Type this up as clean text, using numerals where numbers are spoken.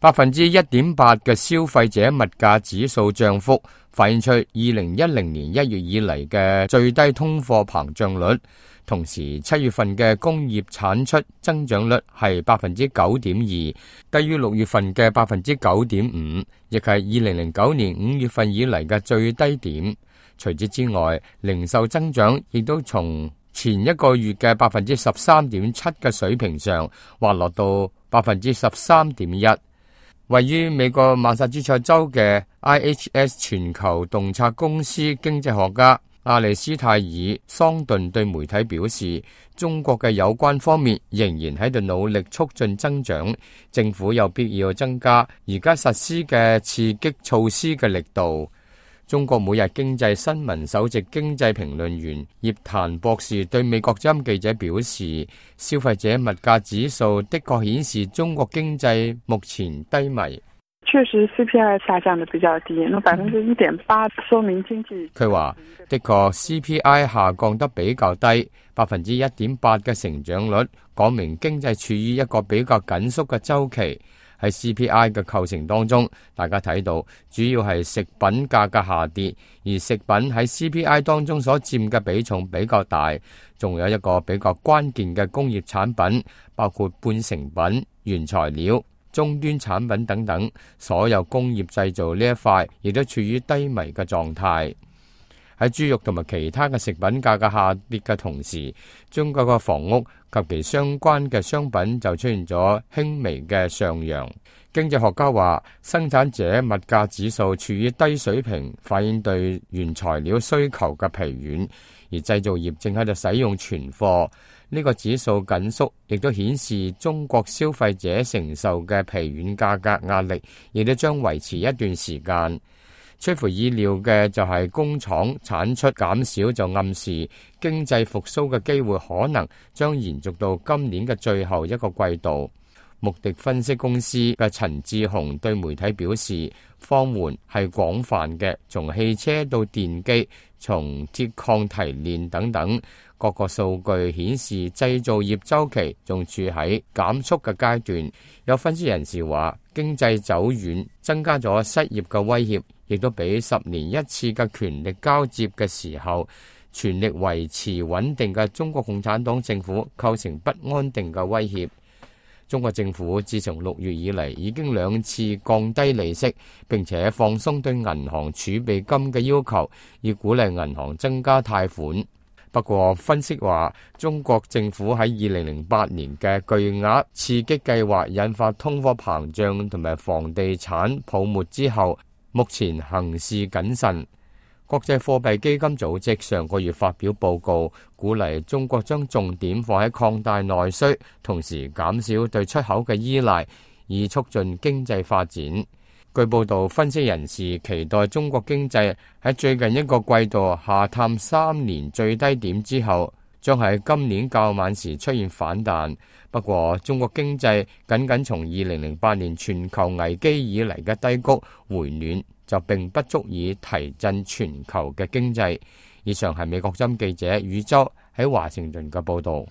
1.8% 嘅消費者物價指數漲幅，反映出2010年1月以嚟嘅最低通貨膨脹率。同時7月份嘅工業產出增長率係 9.2%， 低於6月份嘅 9.5%， 亦係2009年5月份以嚟嘅最低點。除此之外，零售增長亦都從前一個月嘅 13.7% 嘅水平上滑落到 13.1%。位於美國馬薩諸塞州嘅 IHS 全球洞察公司經濟學家亞利斯泰爾桑頓對媒體表示，中國嘅有關方面仍然喺度努力促進增長，政府有必要增加而家實施嘅刺激措施嘅力度。中國每日經濟新聞首席經濟評論員葉檀博士對美國之音記者表示，消費者物價指數的確顯示中國經濟目前低迷。確實 CPI 下降得比較低，那 1.8% 說明經濟。佢話的確 CPI 下降得比較低，1.8% 嘅成長率講明經濟處於一個比較緊縮嘅週期。喺 CPI 嘅構成當中，大家睇到主要係食品價格下跌，而食品喺 CPI 當中所佔嘅比重比較大。仲有一個比較關鍵嘅工業產品，包括半成品、原材料、終端產品等等，所有工業製造呢一塊亦都處於低迷嘅狀態。喺豬肉同埋其他嘅食品價格下跌嘅同時，中國嘅房屋及其相關嘅商品就出現咗輕微嘅上揚。經濟學家話，生產者物價指數處於低水平，反映對原材料需求嘅疲軟，而製造業正喺度使用存貨。呢個指數緊縮，亦都顯示中國消費者承受嘅疲軟價格壓力，亦都將維持一段時間。出乎意料嘅就係工廠產出減少，就暗示經濟復甦嘅機會可能將延續到今年嘅最後一個季度。穆迪分析公司嘅陳志雄對媒體表示，放緩係廣泛嘅，從汽車到電機，從鐵礦提煉等等，各個數據顯示製造業週期仲處喺減速嘅階段。有分析人士話，經濟走軟增加咗失業嘅威脅，亦都比10年一次嘅權力交接嘅時候，全力維持穩定嘅中國共產黨政府構成不安定嘅威脅。中國政府自從6月以嚟已經2次降低利息，並且放鬆對銀行儲備金嘅要求，以鼓勵銀行增加貸款。不過分析話，中國政府喺2008年嘅巨額刺激計劃引發通貨膨脹同埋房地產泡沫之後，目前行事謹慎。國際貨幣基金組織上個月發表報告，鼓勵中國將重點放喺擴大內需，同時減少對出口嘅依賴，以促進經濟發展。據報道，分析人士期待中國經濟喺最近一個季度下探3年最低點之後，將喺今年較晚時出現反彈。不過，中國經濟僅從2008年全球危機以嚟嘅低谷回暖，就並不足以提振全球嘅經濟。以上係美國之音記者宇宙喺華盛頓嘅報道。